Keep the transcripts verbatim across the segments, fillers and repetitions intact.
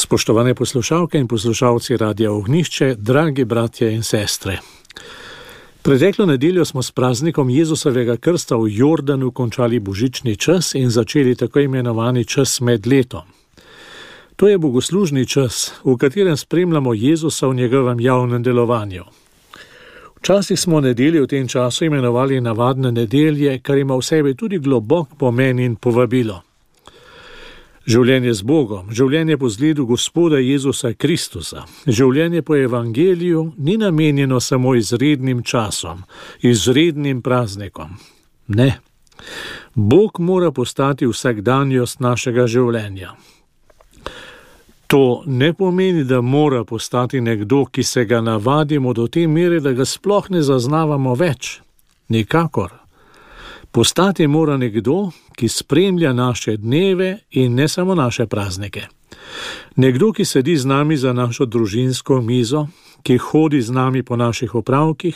Spoštovane poslušalke in poslušalci Radia Ognjišče, dragi bratje in sestre. Preteklo nedeljo smo s praznikom Jezusovega krsta v Jordanu končali božični čas in začeli tako imenovani čas med letom. To je bogoslužni čas, v katerem spremljamo Jezusa v njegovem javnem delovanju. Včasih smo nedelje v tem času imenovali navadne nedelje, kar ima v sebi tudi globok pomen in povabilo. Življenje z Bogom, življenje po zgledu Gospoda Jezusa Kristusa, življenje po evangeliju ni namenjeno samo izrednim časom, izrednim praznikom. Ne. Bog mora postati vsakdanjost našega življenja. To ne pomeni, da mora postati nekdo, ki se ga navadimo do te mere, da ga sploh ne zaznavamo več. Nikakor. Postati mora nekdo, ki spremlja naše dneve in ne samo naše praznike. Nekdo, ki sedi z nami za našo družinsko mizo, ki hodi z nami po naših opravkih,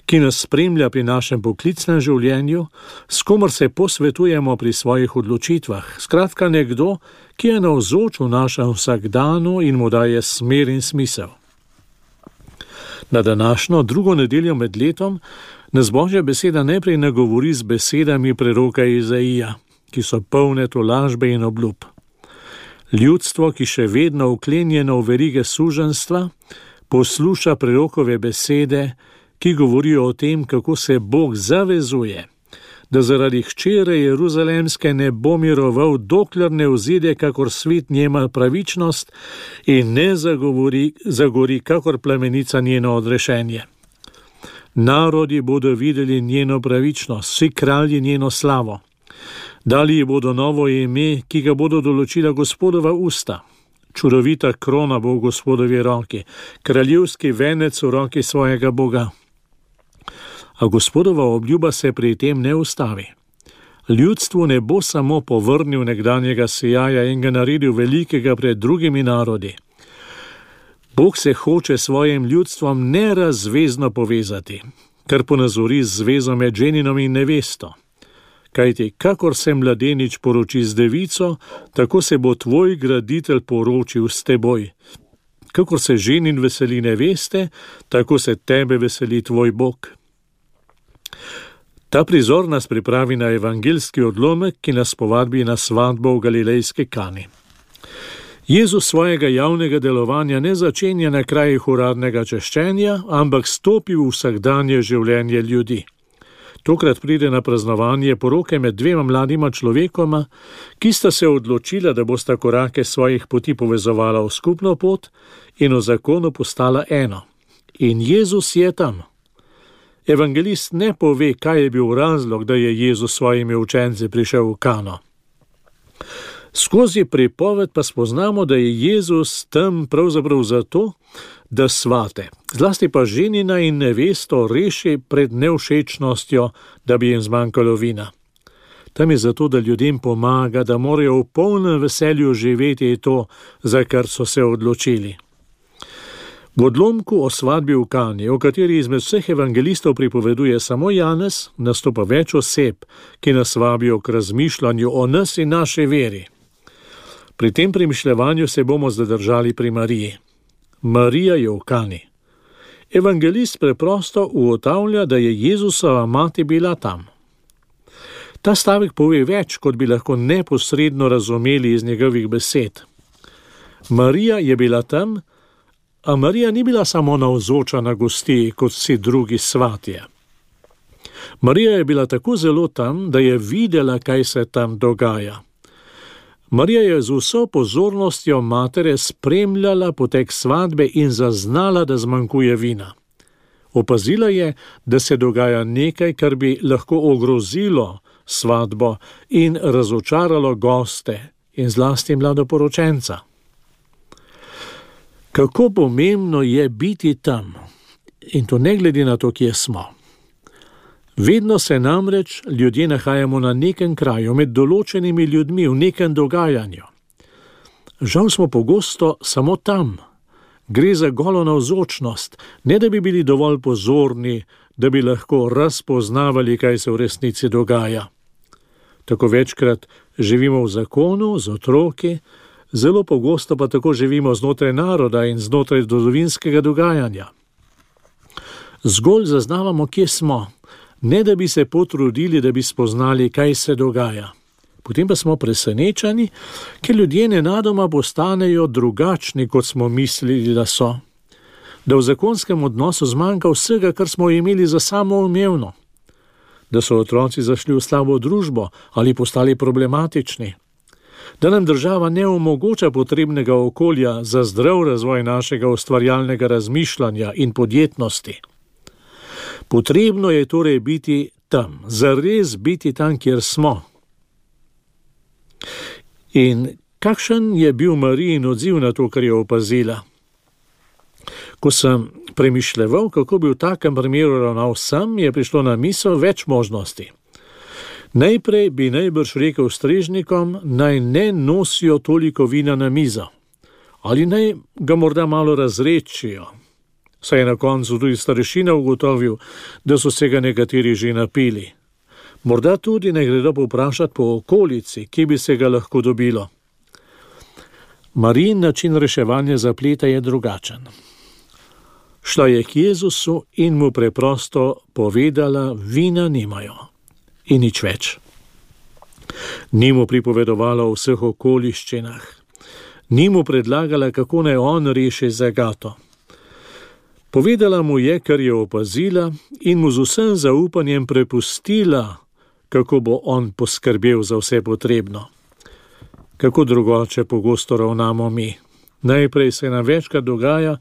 ki nas spremlja pri našem poklicnem življenju, s komer se posvetujemo pri svojih odločitvah. Skratka, nekdo, ki je navzoč v našem vsakdanu in mu daje smer in smisel. Na današnjo drugo nedeljo med letom nas Božja beseda najprej nagovori z besedami preroka Izaija, ki so polne tolažbe in obljub. Ljudstvo, ki še vedno vklenjeno v verige suženjstva, posluša prerokove besede, ki govorijo o tem, kako se Bog zavezuje, da zaradi hčere Jeruzalemske ne bo miroval, dokler ne vzide, kakor svet njema pravičnost in ne zagovori, zagori, kakor plamenica njeno odrešenje. Narodi bodo videli njeno pravičnost, vsi kralji njeno slavo. Dali ji bodo novo ime, ki ga bodo določila Gospodova usta. Čudovita krona bo v Gospodovi roki, kraljevski venec v roki svojega Boga. A Gospodova obljuba se pri tem ne ustavi. Ljudstvu ne bo samo povrnil nekdanjega sijaja in ga naredil velikega pred drugimi narodi. Bog se hoče svojim ljudstvom nerazvezno povezati, kar ponazori z zvezo med ženinom in nevesto. Kajti, kakor se mladenič poroči z devico, tako se bo tvoj graditelj poročil s teboj. Kakor se ženin veseli neveste, tako se tebe veseli tvoj Bog. Ta prizor nas pripravi na evangeljski odlomek, ki nas povabi na svatbo v galilejski Kani. Jezus svojega javnega delovanja ne začenja na krajih uradnega češčenja, ampak stopi v vsakdanje življenje ljudi. Tokrat pride na praznovanje poroke med dvema mladima človekoma, ki sta se odločila, da bosta korake svojih poti povezovala v skupno pot in v zakonu postala eno. In Jezus je tam. Evangelist ne pove, kaj je bil razlog, da je Jezus s svojimi učenci prišel v Kano. Skozi pripoved pa spoznamo, da je Jezus tam pravzaprav zato, da svate, zlasti pa ženina in nevesto reši pred nevšečnostjo, da bi jim zmanjkalo vina. Tam je zato, da ljudem pomaga, da morajo v polnem veselju živeti to, za kar so se odločili. V odlomku o svadbi v Kani, o kateri izmed vseh evangelistov pripoveduje samo Janez, nastopa več oseb, ki nas vabijo k razmišljanju o nas in naši veri. Pri tem premišljevanju se bomo zadržali pri Mariji. Marija je v Kani. Evangelist preprosto ugotavlja, da je Jezusova mati bila tam. Ta stavek pove več, kot bi lahko neposredno razumeli iz njegovih besed. Marija je bila tam, a Marija ni bila samo navzoča na gostiji, kot vsi drugi svatje. Marija je bila tako zelo tam, da je videla, kaj se tam dogaja. Marija je z vso pozornostjo matere spremljala potek svadbe in zaznala, da zmanjkuje vina. Opazila je, da se dogaja nekaj, kar bi lahko ogrozilo svadbo in razočaralo goste in zlasti mladoporočenca. Kako pomembno je biti tam, in to ne glede na to, kje smo. Vedno se namreč ljudje nahajamo na nekem kraju, med določenimi ljudmi, v nekem dogajanju. Žal smo pogosto samo tam. Gre za golo navzočnost, ne da bi bili dovolj pozorni, da bi lahko razpoznavali, kaj se v resnici dogaja. Tako večkrat živimo v zakonu, z otroki, Zelo pogosto pa tako živimo znotraj naroda in znotraj zgodovinskega dogajanja. Zgolj zaznavamo, kje smo, ne da bi se potrudili, da bi spoznali, kaj se dogaja. Potem pa smo presenečeni, ker ljudje nenadoma postanejo drugačni, kot smo mislili, da so. Da v zakonskem odnosu zmanjka vsega, kar smo imeli za samoumevno. Da so otroci zašli v slabo družbo ali postali problematični. Da nam država ne omogoča potrebnega okolja za zdrav razvoj našega ustvarjalnega razmišljanja in podjetnosti. Potrebno je torej biti tam, zares biti tam, kjer smo. In kakšen je bil Marijin odziv na to, kar je opazila? Ko sem premišljeval, kako bi v takem primeru ravnal sam, je prišlo na misel več možnosti. Najprej bi najbrž rekel strežnikom, naj ne nosijo toliko vina na mizo, ali naj ga morda malo razrečijo. Saj je na koncu tudi starešina ugotovil, da so se ga nekateri že napili. Morda tudi ne gredo povprašati po okolici, kje bi se ga lahko dobilo. Marijin način reševanja zapleta je drugačen. Šla je k Jezusu in mu preprosto povedala, vina nimajo. In nič več. Ni mu pripovedovala o vseh okoliščinah. Ni mu predlagala, kako naj on reši zagato. Povedala mu je, kar je opazila, in mu z vsem zaupanjem prepustila, kako bo on poskrbel za vse potrebno. Kako drugače pogosto ravnamo mi. Najprej se nam večkrat dogaja,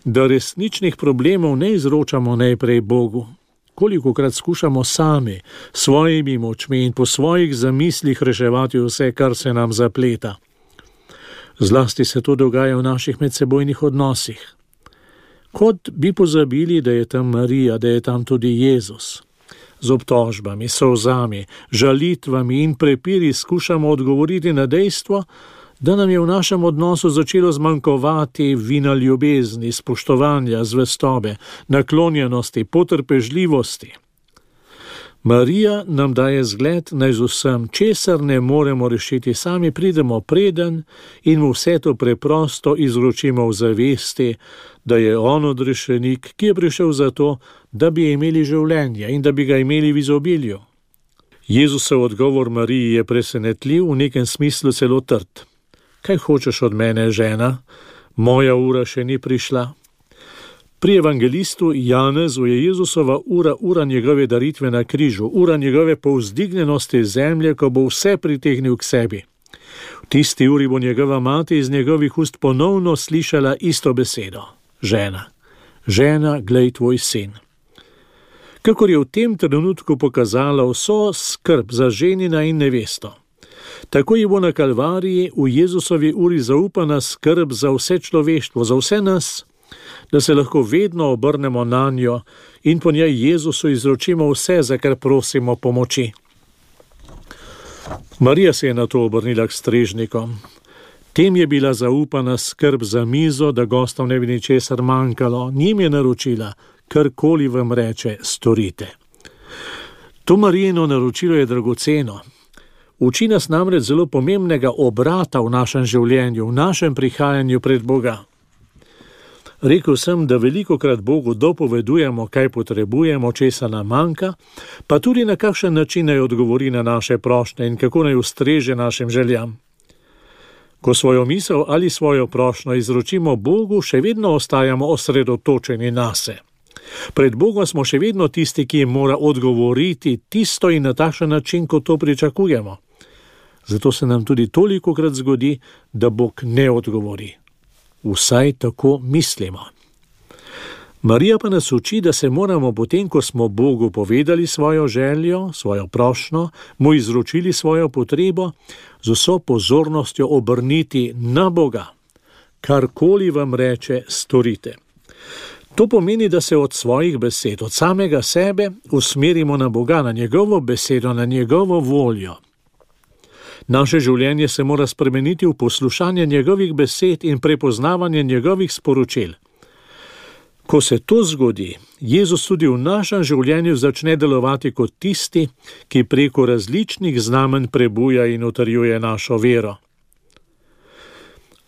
da resničnih problemov ne izročamo najprej Bogu. Kolikokrat skušamo sami, svojimi močmi in po svojih zamislih reševati vse, kar se nam zapleta. Zlasti se to dogaja v naših medsebojnih odnosih. Kot bi pozabili, da je tam Marija, da je tam tudi Jezus. Z obtožbami, solzami, žalitvami in prepiri skušamo odgovoriti na dejstvo, da nam je v našem odnosu začelo zmanjkovati vina ljubezni, spoštovanja, zvestobe, naklonjenosti, potrpežljivosti. Marija nam daje zgled, naj z vsem, česar ne moremo rešiti sami, pridemo preden in mu vse to preprosto izročimo v zavesti, da je on odrešenik, ki je prišel zato, da bi imeli življenje in da bi ga imeli v izobilju. Jezusov odgovor Mariji je presenetljiv, v nekem smislu celo trd. Kaj hočeš od mene, žena? Moja ura še ni prišla. Pri evangelistu Janezu je Jezusova ura ura njegove daritve na križu, ura njegove povzdignjenosti zemlje, ko bo vse pritegnil k sebi. V tisti uri bo njegova mati iz njegovih ust ponovno slišala isto besedo. Žena, žena, glej tvoj sin. Kakor je v tem trenutku pokazala vso skrb za ženina in nevesto. Tako ji bo na Kalvariji v Jezusovi uri zaupana skrb za vse človeštvo, za vse nas, da se lahko vedno obrnemo na njo in po njej Jezusu izročimo vse, za kar prosimo pomoči. Marija se je na to obrnila k strežnikom. Tem je bila zaupana skrb za mizo, da gostom ne bi ničesar manjkalo. Njim je naročila, karkoli vam reče, storite. To Marijino naročilo je dragoceno. Uči nas namreč zelo pomembnega obrata v našem življenju, v našem prihajanju pred Boga. Rekel sem, da velikokrat Bogu dopovedujemo, kaj potrebujemo, česa nam manjka, pa tudi na kakšen način naj odgovori na naše prošnje in kako naj ustreže našim željam. Ko svojo misel ali svojo prošnjo izročimo Bogu, še vedno ostajamo osredotočeni nase. Pred Bogom smo še vedno tisti, ki jim mora odgovoriti tisto in na takšen način, kot to pričakujemo. Zato se nam tudi tolikokrat zgodi, da Bog ne odgovori. Vsaj tako mislimo. Marija pa nas uči, da se moramo potem, ko smo Bogu povedali svojo željo, svojo prošnjo, mu izročili svojo potrebo, z vso pozornostjo obrniti na Boga. Karkoli vam reče, storite. To pomeni, da se od svojih besed, od samega sebe usmerimo na Boga, na njegovo besedo, na njegovo voljo. Naše življenje se mora spremeniti v poslušanje njegovih besed in prepoznavanje njegovih sporočil. Ko se to zgodi, Jezus tudi v našem življenju začne delovati kot tisti, ki preko različnih znamenj prebuja in utrjuje našo vero.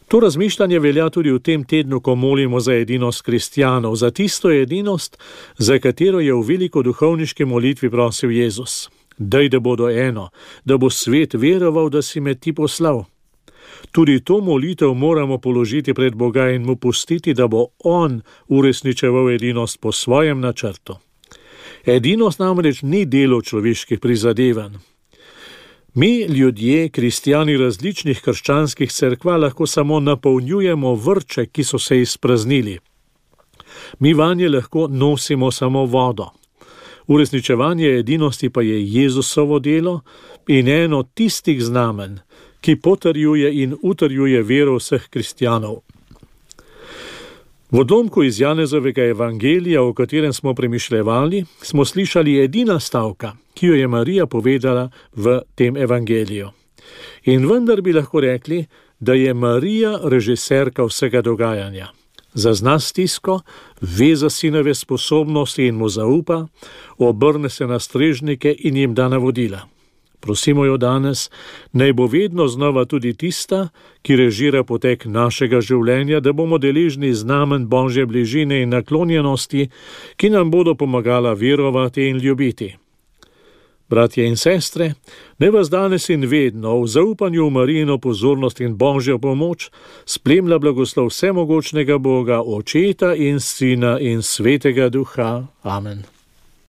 To razmišljanje velja tudi v tem tednu, ko molimo za edinost kristjanov, za tisto edinost, za katero je v velikoduhovniški molitvi prosil Jezus. Daj, da bodo eno, da bo svet veroval, da si me ti poslal. Tudi to molitev moramo položiti pred Boga in mu pustiti, da bo on uresničeval edinost po svojem načrtu. Edinost namreč ni delo človeških prizadevanj. Mi, ljudje, kristjani različnih krščanskih cerkva, lahko samo napolnjujemo vrče, ki so se izpraznili. Mi vanje lahko nosimo samo vodo. Uresničevanje edinosti pa je Jezusovo delo in eno tistih znamen, ki potrjuje in utrjuje vero vseh kristjanov. V odlomku iz Janezovega evangelija, o katerem smo premišljevali, smo slišali edina stavka, ki jo je Marija povedala v tem evangeliju. In vendar bi lahko rekli, da je Marija režiserka vsega dogajanja. Zazna stisko, ve za sinove sposobnosti in mu zaupa, obrne se na strežnike in jim da navodila. Prosimo jo danes, naj bo vedno znova tudi tista, ki režira potek našega življenja, da bomo deležni znamen Božje bližine in naklonjenosti, ki nam bodo pomagala verovati in ljubiti. Bratje in sestre, naj vas danes in vedno v zaupanju v Marijino pozornost in Božjo pomoč spremlja blagoslov vsemogočnega Boga, Očeta in Sina in Svetega Duha. Amen.